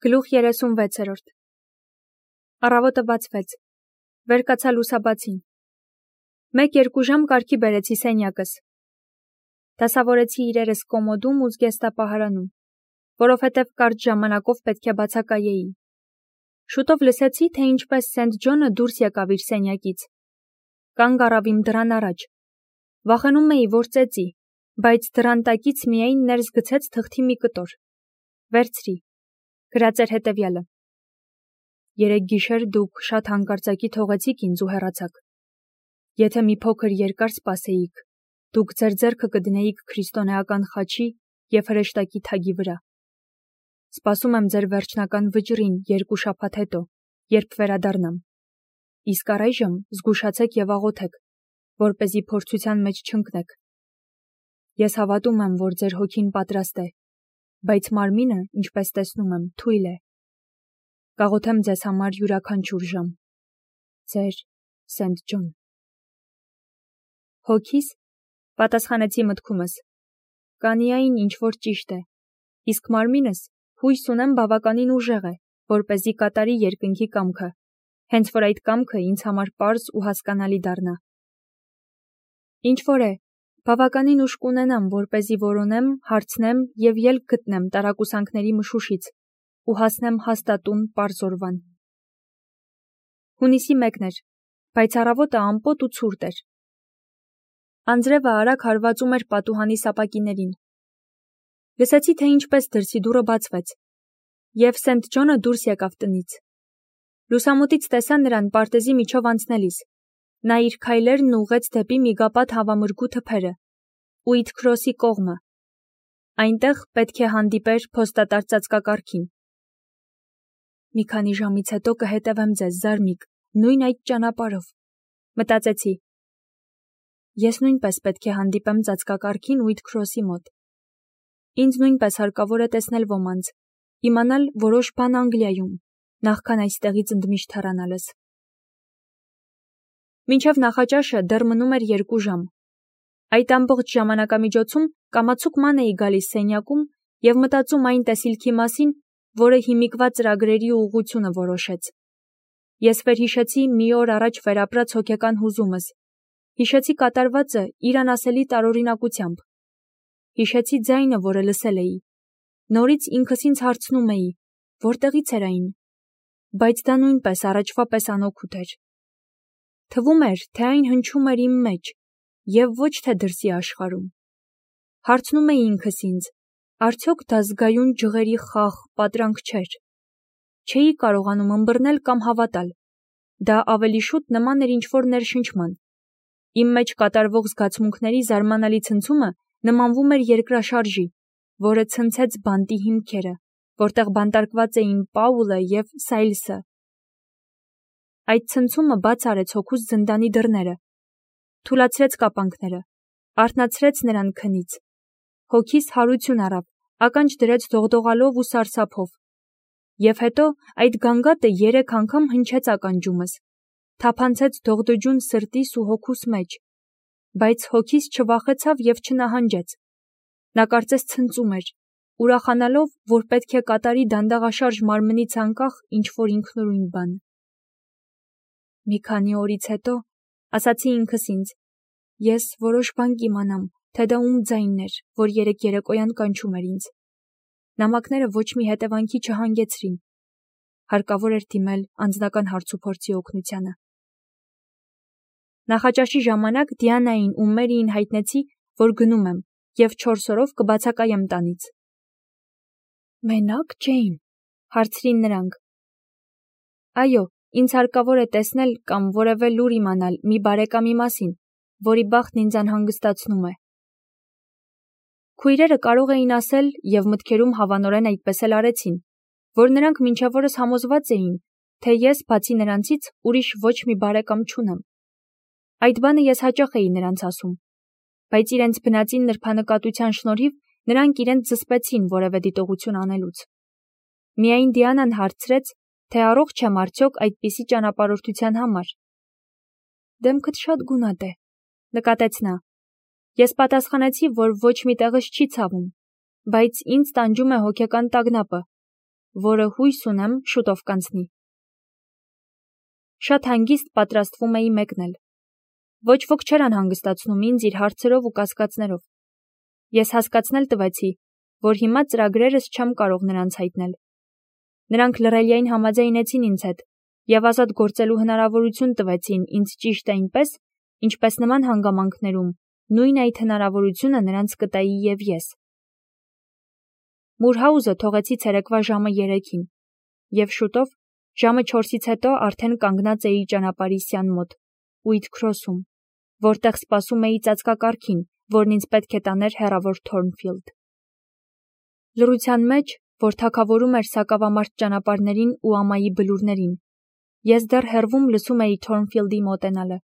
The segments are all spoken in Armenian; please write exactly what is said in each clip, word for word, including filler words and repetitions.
Գլուխ երեսունվեցերորդ Առավոտը բացվեց, վեր կացա լուսաբացին, մեկ երկու ժամ կարգի բերեցի սենյակս, դասավորեցի իրերս կոմոդում ու զգեստապահարանում, որովհետև կարճ ժամանակով պետք է բացակայեի, շուտով լսեցի, թե ինչպես Սենթ Ջոնը դուրս եկավ իր սենյակից, կանգ առավ իմ դռան առաջ, վախենում էի, որ ծեծի, բայց դռան տակից միայն ներս գցեց թղթի մի կտոր, վերցրի, գրած էր հետևյալը. Երեկ գիշեր դուք շատ հանկարծակի թողեցիք ինձ ու հեռացաք, եթե մի փոքր երկար սպասեիք, դուք ձեր ձեռքը կդնեիք քրիստոնեական խաչի և հրեշտակի թագի վրա, սպասում եմ ձեր վերջնական վճռին երկու շաբաթ հետո, երբ վերադառնամ, իսկ առայժմ զգուշացեք և աղոթեք, որպեսզի փորձության մեջ չընկնեք, ես հավատում եմ, որ ձեր հոգին պատրաստ է, բայց մարմինը, ինչպես տեսնում եմ, թույլ է, կաղոթեմ ձեզ համար յուրաքանչյուր ժամ, ձեր Սենթ Ջոն։ Հոգիս, պատասխանեցի մտքումս, կանիային ինչ-որ ճիշտ է, իսկ մարմինս հույս ունեմ բավականին ուժեղ է, որպեսզի կատարի երկնքի կամքը, հենց որ այդ կամքը ինձ համար պարզ ու հասկանալի դառնա։ Ինչ-որ է, բավականին ուժ կունենամ, որպեսզի որոնեմ, հարցնեմ և ելք գտնեմ տարակուսանքների մշուշից ու հասնեմ հաստատուն պարզ օրվան։ Հունիսի մեկն էր, բայց առավոտը ամպոտ ու ցուրտ էր։ Անձրևը արագ հարվածում էր պատուհանի սապակիներին։ Լսեցի, թե ինչպես դրսի դուռը բացվեց, և Սենթ Ջոնը դուրս եկավ տնից։ Լուսամուտից տեսա նրան պարտեզի միջով անցնելիս։ Նա իր քայլերն ուղղեց դեպի միգապատ հավամրգու թփերը, Ուիթ Քրոսի կողմը։ Այնտեղ պետք է հանդիպեր փոստատար ծածկակարգին։ Մի քանի ժամից հետո կհետևեմ ձեզ, զարմիկ, նույն այդ ճանապարհով, մտածեցի։ Ես նույնպես պետք է հանդիպեմ ծածկակարգին Ուիթ Քրոսի մոտ։ Ինձ նույնպես հարկավոր է տեսնել ոմանց, իմանալ որոշ բան Անգլիայում, նախքան այստեղից ընդմիշտ հեռանալս։ Մինչև նախաճաշը դեռ մնում էր երկու ժամ։ Այդ ամբողջ ժամանակամիջոցում կամացուկ ման էի գալիս սենյակում և մտածում այն տեսիլքի մասին, որը հիմիկվա ծրագրերի ուղղությունը որոշեց։ Ես վերհիշեցի մի օր առաջ վերապրած հոգեկան հուզումս, հիշեցի կատարվածը իր անասելի տարօրինակությամբ, հիշեցի ձայնը, որը լսել էի, նորից ինքս ինձ հարցնում էի, որտեղից էր այն, բայց դա նույնպես առաջվա պես անօգուտ էր։ Թվում էր, թե այն հնչում էր իմ մեջ և ոչ թե դրսի աշխարհում։ Հարցնում էի ինքս ինձ, արդյոք դա զգայուն ջղերի խաղ, պատրանք չէր։ Չէի կարողանում ըմբռնել կամ հավատալ։ Դա ավելի շուտ նման էր ինչ-որ ներշնչման։ Իմ մեջ կատարվող զգացմունքների զարմանալի ցնցումը նմանվում էր երկրաշարժի, որը ցնցեց բանտի հիմքերը, որտեղ բանտարկված էին Պաուլը և Սայլսը։ Այդ ցնցումը բաց արեց հոգուս զնդանի դռները, թուլացրեց կապանքները, արթնացրեց նրան քնից։ Հոգիս հարություն առավ, ականջ դրեց դողդողալով ու սարսափով։ Եվ հետո այդ գանգատը երեք անգամ հնչեց ականջումս, թափանցեց դողդոջուն սրտիս ու հոգուս մեջ, բայց հոգիս չվախեցավ և չնահանջեց։ Նա կարծես ցնծում էր, ուրախանալով, որ պետք է կատարի դանդաղաշարժ մարմնից անկախ ինչ-որ ինքնուրույն բան։ Մի քանի օրից հետո, ասացի ինքս ինձ, ես որոշ բան կիմանամ, թե դա ում ձայնն էր, որ երեկ երեկոյան կանչում էր ինձ։ Նամակները ոչ մի հետևանքի չհանգեցրին։ Հարկավոր էր դիմել անձնական հարցուփորձի օգնությանը։ Նախաճաշի ժամանակ Դիանային ու Մերիին հայտնեցի, որ գնում եմ, և չորս օրով կբացակայեմ տանից։ Մենակ, Ջեյն, հարցրին նրանք։ Այո, ինձ հարկավոր է տեսնել կամ որևէ լուր իմանալ մի բարեկամի մասին, որի բախտն ինձ անհանգստացնում է։ Քույրերը կարող էին ասել, և մտքերում հավանորեն այդպես էլ արեցին, որ նրանք մինչև օրս համոզված էին, թե ես, բացի նրանցից, ուրիշ ոչ մի բարեկամ չունեմ։ Այդ բանը ես հաճախ էի նրանց ասում, բայց իրենց բնածին նրբանկատության շնորհիվ նրանք իրենց զսպեցին որևէ դիտողություն անելուց։ Միայն Դիանան հարցրեց, թե առողջ եմ արդյոք այդպիսի ճանապարհորդության համար։ Դեմքդ շատ գունատ է, նկատեց նա։ Ես պատասխանեցի, որ ոչ մի տեղս չի ցավում, բայց ինձ տանջում է հոգեկան տագնապը, որը հույս ունեմ շուտով կանցնի։ Շատ հանգիստ պատրաստվում էի մեկնել։ Ոչ ոք չէր անհանգստացնում ինձ իր հարցերով ու կասկածներով։ Ես հասկացնել տվեցի, որ հիմա ծրագրերս չեմ կարող նրանց հայտնել։ Նրանք լռելիային համաձայնեցին ինձ հետ և ազատ գործելու հնարավորություն տվեցին ինձ ճիշտ այնպես, ինչպես նման հանգամանքներում նույն այդ հնարավորությունը նրանց կտայի և ես։ Մուրհաուզը թողեցի ցերեկվա ժամը երեքին, և շուտով, ժամը չորսից հետո արդեն կանգնած էի ճանապարհի սյան մոտ, Ուիթքրոսում, որտեղ սպասում էի ծածկակարգին, որն ինձ պետք է տաներ հեռավոր Թորնֆիլդ։ Լռության մեջ, որ թագավորում էր սակավամարտ ճանապարհներին ու ամայի բլուրներին, ես դեռ հեռվում լսում էի Թորնֆիլդի մոտենալը։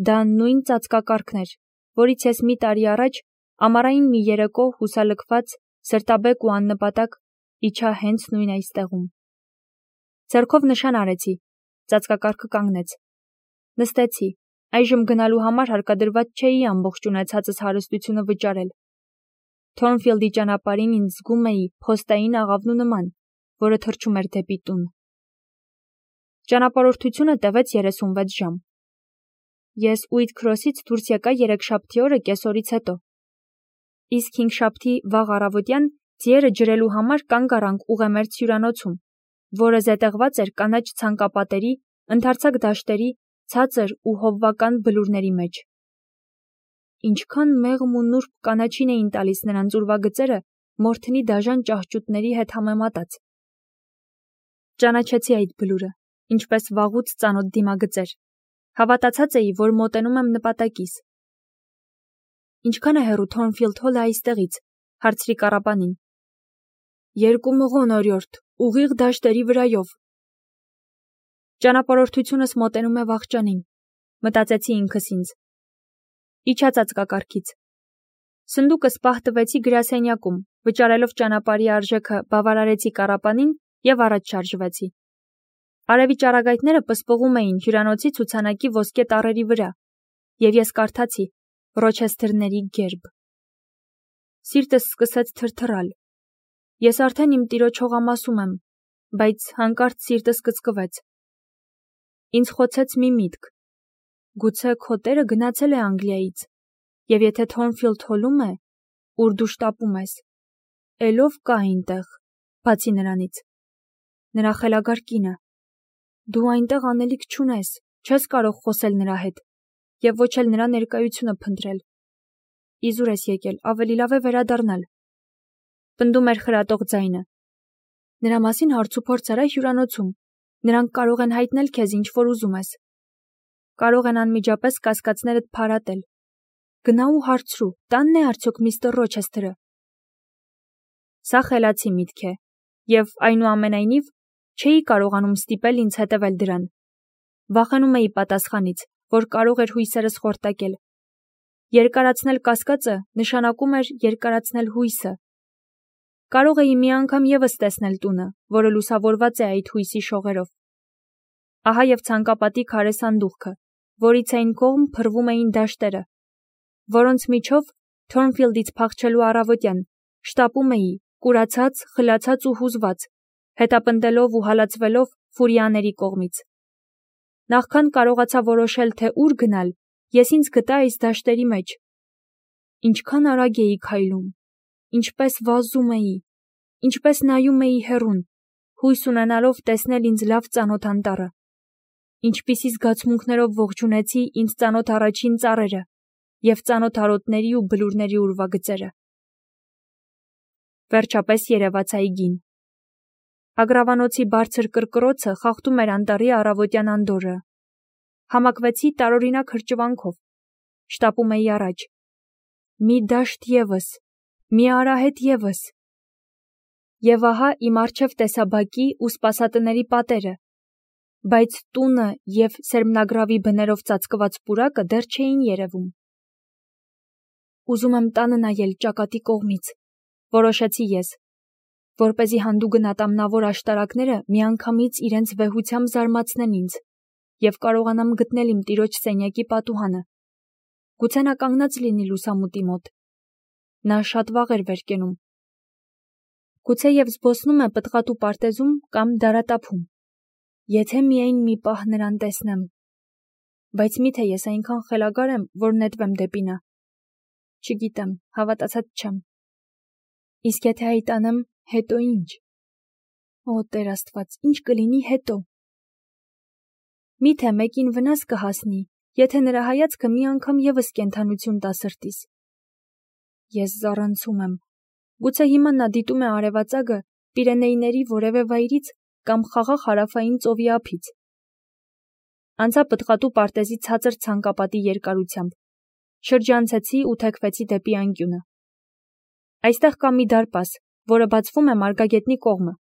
Դա նույն ծածկակարգն էր, որից ես մի տարի առաջ ամառային մի երեկո հուսալքված, սրտաբեկ ու աննպատակ իջա հենց նույն այստեղում։ Ձեռքով նշան արեցի, ծածկակարգը կանգնեց։ Նստեցի, այժմ գնալու համար հարկադրված չէի ամբողջ ունեցածս հարստությունը վճարել։ Թորնֆիլդի ճանապարհին ինձ զգում էի փոստային աղավնու նման, որը թռչում էր դեպի տուն։ Ճանապարհորդությունը տևեց երեսունվեց ժամ։ Ես Ուիթքրոսից դուրս եկա երեքշաբթի օրը կեսօրից հետո։ Իսկ հինգշաբթի վաղ առավոտյան ձիերը ջրելու համար կանգ առանք ուղեմերձ հյուրանոցում, որը զետեղված էր կանաչ ցանկապատերի, ընդարձակ դաշտերի, ցածր ու հովվական բլուրների մեջ։ Ինչքան մեղմ ու նուրբ կանաչին էին տալիս նրանց ուրվագծերը մորթնի դաժան ճահճուտների հետ համեմատած։ Ճանաչեցի այդ բլուրը, ինչպես վաղուց ծանոթ դիմագծեր։ Հավատացած էի, որ մոտենում եմ նպատակիս։ Ինչքան է հեռու Թորնֆիլդ Հոլը այստեղից, հարցրի կառապանին։ Երկու մղոն օրիորդ, ուղիղ դաշտերի վրայով։ Ճանապարհորդությունս մոտենում է վախճանին, մտածեցի ինքս ինձ։ Իջա ծածկակարգից։ Սնդուկս պահ տվեցի գրասենյակում, վճարելով ճանապարհի արժեքը բավարարեցի կառապանին և առաջ շարժվեցի։ Արևի ճառագայթները պսպղում էին հյուրանոցի ցուցանակի ոսկե տառերի վրա, և ես կարդացի Ռոչեսթերների գերբ։ Սիրտս սկսեց թրթռալ։ Ես արդեն իմ տիրոջ հողամասում եմ, բայց հանկարծ սիրտս կծկվեց։ Ինձ խոցեց մի միտք. գուցե քո տերը գնացել է Անգլիայից, և եթե Թորնֆիլդ Հոլում է, ուր դու շտապում ես, էլ ով կա այնտեղ, բացի նրանից։ Նրա խելագար կինը։ Դու այնտեղ անելիք չունես, չես կարող խոսել նրա հետ, և ոչ էլ նրա ներկայությունը փնտրել։ Իզուր ես եկել, ավելի լավ է վերադառնալ։ Պնդում էր խրատող ձայնը։ Նրա մասին հարցուփորձ արա հյուրանոցում, նրանք կարող են հայտնել քեզ ինչ որ ուզում ես։ Կարող են անմիջապես կասկածներդ փարատել։ Գնա ու հարցրու, տանն է արդյոք միստր Ռոչեսթերը։ Սա խելացի միտք է, և այնուամենայնիվ չէի կարողանում ստիպել ինձ հետևել դրան։ Վախենում էի պատասխանից, որ կարող էր հույսերս խորտակել։ Երկարացնել կասկածը նշանակում էր երկարացնել հույսը։ Կարող էի մի անգամ ևս տեսնել տունը, որը լուսավորված է այդ հույսի շողերով։ Ահա և ցանկապատի քարե սանդուղքը, որից այն կողմ փռվում էին դաշտերը, որոնց միջով Թորնֆիլդից փախչելու առավոտյան շտապում էի, կուրացած, խլացած ու հուզված, հետապնդելով ու հալածվելով ֆուրիաների կողմից։ Նախքան կարողացա որոշել, թե ուր գնալ, ես ինձ գտա այս դաշտերի մեջ։ Ինչքան արագ էի քայլում, ինչպես վազում էի, ինչպես նայում էի հեռուն, հույս ունենալով տեսնել ինձ լավ ծանոթ անտառը։ Ինչպիսի զգացմունքներով ողջունեցի ինձ ծանոթ առաջին ծառերը և ծանոթ արոտների ու բլուրների ուրվագծերը։ Վերջապես երևաց այգին։ Ագրավանոցի բարձր կռկռոցը խախտում էր անտառի առավոտյան անդորրը։ Համակվեցի տարօրինակ հրճվանքով։ Շտապում էի առաջ։ Մի դաշտ ևս, մի արահետ ևս։ Եվ ահա իմ առջև տեսա բակի ու սպասատների պատերը, բայց տունը և սերմնագրավի բներով ծածկված պուրակը դեռ չէին երևում։ Ուզում եմ տանը նայել ճակատի կողմից, որոշեցի ես, որպեսզի հանդուգն ատամնավոր աշտարակները միանգամից իրենց վեհությամբ զարմացնեն ինձ և կարողանամ գտնել իմ տիրոջ սենյակի պատուհանը։ Գուցե նա կանգնած լինի լուսամուտի մոտ։ Նա շատ վաղ էր վեր կենում։ Գուցե եւ զբոսնում է պտղատու պարտեզում կամ դարատափում։ Եթե միայն մի պահ նրան տեսնեմ։ Բայց միթե ես այնքան խելագար եմ, որ նետվեմ դեպի նա։ Չգիտեմ, հավատացած չեմ։ Իսկ եթե հայտանեմ, հետո ինչ։ Օ, Տեր Աստված, ինչ կլինի հետո։ Միթե մեկին վնաս կհասնի, եթե նրա հայացքը մի անգամ եւս կենթանություն տա սրտիս։ Ես զառանցում եմ։ Գուցե հիմա նա դիտում է արևածագը Պիրենեյների որևէ վայրից կամ խաղաղ հարավային ծովի ափից։ Անցա պտղատու պարտեզի ցածր ցանկապատի երկարությամբ։ Շրջանցեցի ու թեքվեցի դեպի անկյունը։ Այստեղ կա մի դարպաս, որը բացվում է Մարգագետնի կողմը։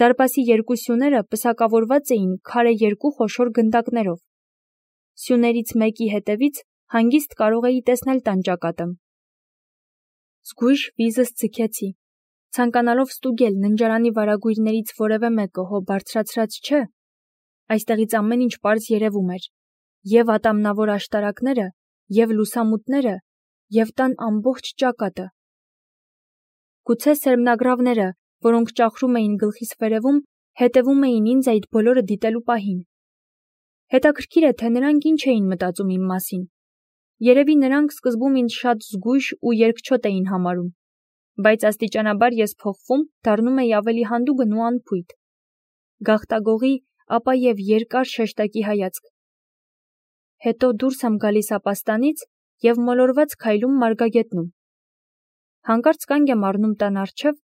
Դարպասի երկու սյուները պսակավորված էին քարե երկու խոշոր գնդակներով։ Սյուներից մեկի հետևից հանգիստ կարող էի տեսնել տանջակատը։ Զգույշ վիզս ձգեցի, ցանկանալով ստուգել ննջարանի վարագույրներից որևէ մեկը հո բարձրացրած չէ։ Այստեղից ամեն ինչ պարզ երևում էր, եւ ատամնավոր աշտարակները, եւ լուսամուտները, եւ տան ամբողջ ճակատը։ Գուցե սերմնագրավները, որոնք ճախրում էին գլխիս վերևում, հետևում էին ինձ այդ բոլորը դիտելու պահին։ Հետաքրքիր է, թե նրանք ինչ էին մտածում իմ մասին։ Երևի նրանք սկզբում ինձ շատ զգույշ ու երկչոտ էին համարում, բայց աստիճանաբար ես փոխվում, դառնում էի ավելի հանդուգն ու անփույթ։ Գաղտագողի, ապա եւ երկար շեշտակի հայացք։ Հետո դուրս եմ գալիս ապաստանից եւ մոլորված քայլում Մարգագետնում։ Հանկարծ կանգ եմ առնում տան առջև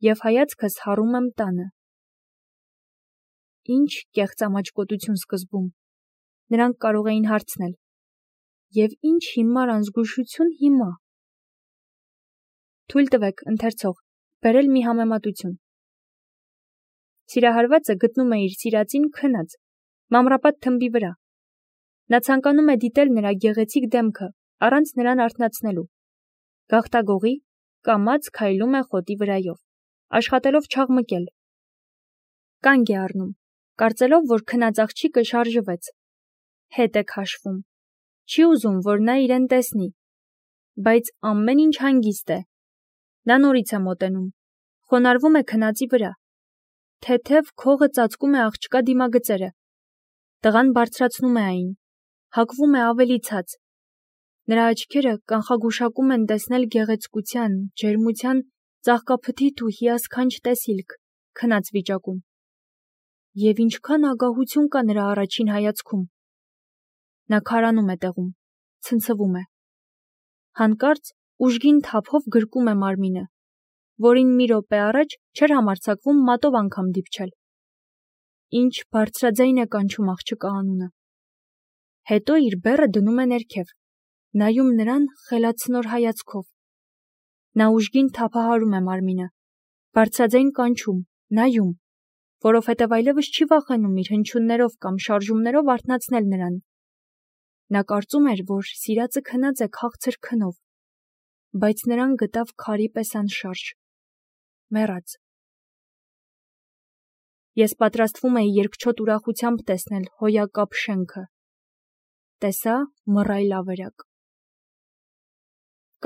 եւ հայացքս հառում եմ տանը։ Ինչ կեղծամաճկոտություն սկզբում։ Նրանք կարող էին հարցնել. Եվ ինչ հիմար անզգուշություն հիմա։ Թույլ տվեք, ընթերցող, բերել մի համեմատություն։ Սիրահարվածը գտնում է իր սիրածին քնած, մանրապատ թմբի վրա։ Նա ցանկանում է դիտել նրա գեղեցիկ դեմքը, առանց նրան արթնացնելու։ Գաղտագողի կամաց քայլում է խոտի վրայով, աշխատելով չաղմկել։ Կանգ է առնում, կարծելով, որ քնած աղջիկը շարժվեց։ Հետ է քաշվում։ Չի ուզում, որ նա իրեն տեսնի, բայց ամեն ինչ հանգիստ է։ Նա նորից է մոտենում, խոնարհվում է քնածի վրա։ Թեթև քողը ծածկում է աղջկա դիմագծերը։ Տղան բարձրացնում է այն, հակվում է ավելի ցած։ Նրա աչքերը կանխագուշակում են տեսնել գեղեցկության, ջերմության, ծաղկափթիթ ու հիասքանչ տեսիլք քնած վիճակում։ Եվ ինչքան ագահություն կա նրա առաջին հայացքում։ Նա քարանում է տեղում, ցնցվում է։ Հանկարծ ուժգին թափով գրկում է մարմինը, որին մի րոպե առաջ չէր համարձակվում մատով անգամ դիպչել։ Ինչ բարձրաձայն է կանչում աղջկա անունը։ Հետո իր բեռը դնում է ներքև, նայում նրան խելացնոր հայացքով։ Նա ուժգին թափահարում է մարմինը, բարձրաձայն կանչում, նայում, որովհետև այլևս չի վախենում իր հնչյուններով կամ շարժումներով արթնացնել նրան։ Նա կարծում էր, որ սիրածը քնած է քաղցր քնով, բայց նրան գտավ քարի պես անշարժ, մեռած։ Ես պատրաստվում էի երկչոտ ուրախությամբ տեսնել հոյակապ շենքը։ Տեսա մռայլ ավերակ։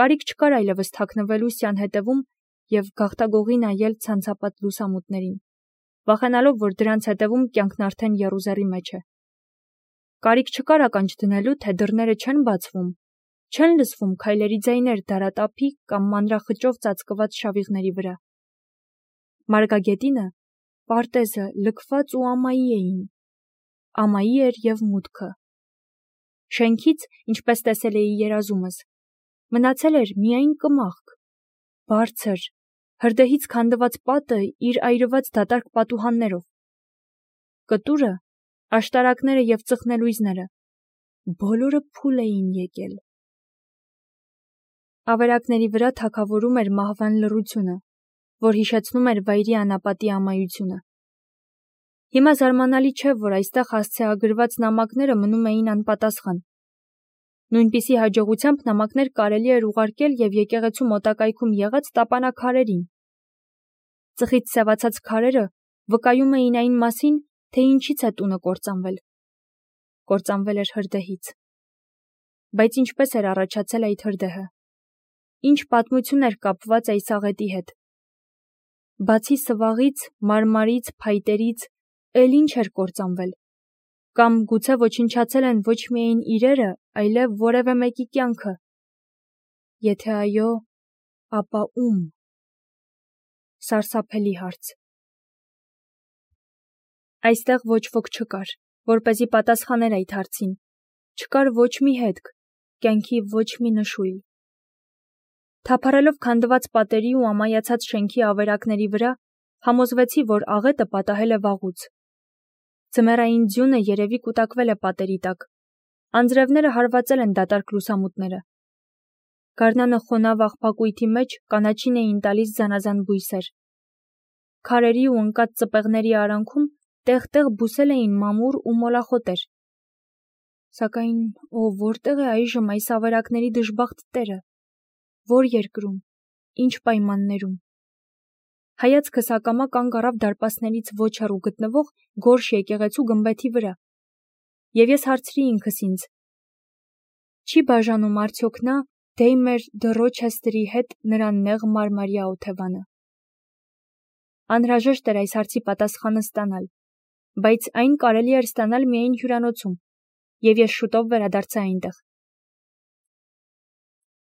Կարիք չկար այլևս թաքնվելու սյան հետևում եւ գաղտագողի նայել ցանցապատ լուսամուտներին, վախենալով, որ դրանց հետևում կյանքն արդեն եռուզեռի մեջ է։ Կարիք չկար ականջ դնելու, թե դռները չեն բացվում, չեն լսվում քայլերի ձայներ դարատափի կամ մանրախճով ծածկված շավիղների վրա։ Մարգագետինը, պարտեզը լքված ու ամայի էին։ Ամայի էր եւ մուտքը։ Շենքից, ինչպես տեսել էի երազումս, մնացել էր միայն կմախք, բարձր, հրդեհից քանդված պատը իր այրված դատարկ պատուհաններով։ Կտուրը, աշտարակները եւ ծխնելույզները, բոլորը փուլ էին եկել։ Ավերակների վրա թագավորում էր մահվան լռությունը, որ հիշեցնում էր վայրի անապատի ամայությունը։ Հիմա զարմանալի չէ, որ այստեղ հասցեագրված նամակները մնում էին անպատասխան։ Նույնպիսի հաջողությամբ նամակներ կարելի էր ուղարկել եւ եկեղեցու մոտակայքում եղած տապանաքարերին։ Ծխից սևացած քարերը վկայում էին այն մասին, թե ինչից է տունը կործանվել։ Կործանվել էր հրդեհից։ Բայց ինչպես էր առաջացել այդ հրդեհը։ Ինչ պատմություն էր կապված այս աղետի հետ։ Բացի սվաղից, մարմարից, փայտերից, էլ ինչ էր կործանվել։ Կամ գուցե ոչնչացել են ոչ միայն իրերը, այլև որևէ մեկի կյանքը։ Եթե այո, ապա ում։ Սարսափելի հարց։ Այստեղ ոչ ոք չկար, որպեսզի պատասխաներ այդ հարցին։ Չկար ոչ մի հետք, կյանքի ոչ մի նշույլ։ Թափառելով քանդված պատերի ու ամայացած շենքի ավերակների վրա, համոզվեցի, որ աղետը պատահել է վաղուց։ Ձմեռային ձյունը երևի կուտակվել է պատերի տակ։ Անձրևները հարվածել են դատարկ լուսամուտները։ Գարնանը խոնավ աղբակույտի մեջ կանաչին էին տալիս զանազան բույսեր։ Քարերի ու ընկած ծպեղների արանքում տեղ-տեղ բուսել էին մամուռ ու մոլախոտեր։ Սակայն ո որտեղ է այժմ այս ավերակների դժբախտ տերը։ Որ երկրում, ինչ պայմաններում։ Հայացքս ակամա կանգ առավ դարպասներից ոչ հեռու գտնվող գորշ եկեղեցու գմբեթի վրա։ Եվ ես հարցրի ինքս ինձ. չի բաժանում արդյոք նա Դեյմեր դը Ռոչեսթերի հետ նրա նեղ մարմարյա օթևանը։ Անհրաժեշտ էր այս հարցի պատասխանը ստանալ, բայց այն կարելի էր ստանալ միայն հյուրանոցում, և ես շուտով վերադարձա այնտեղ։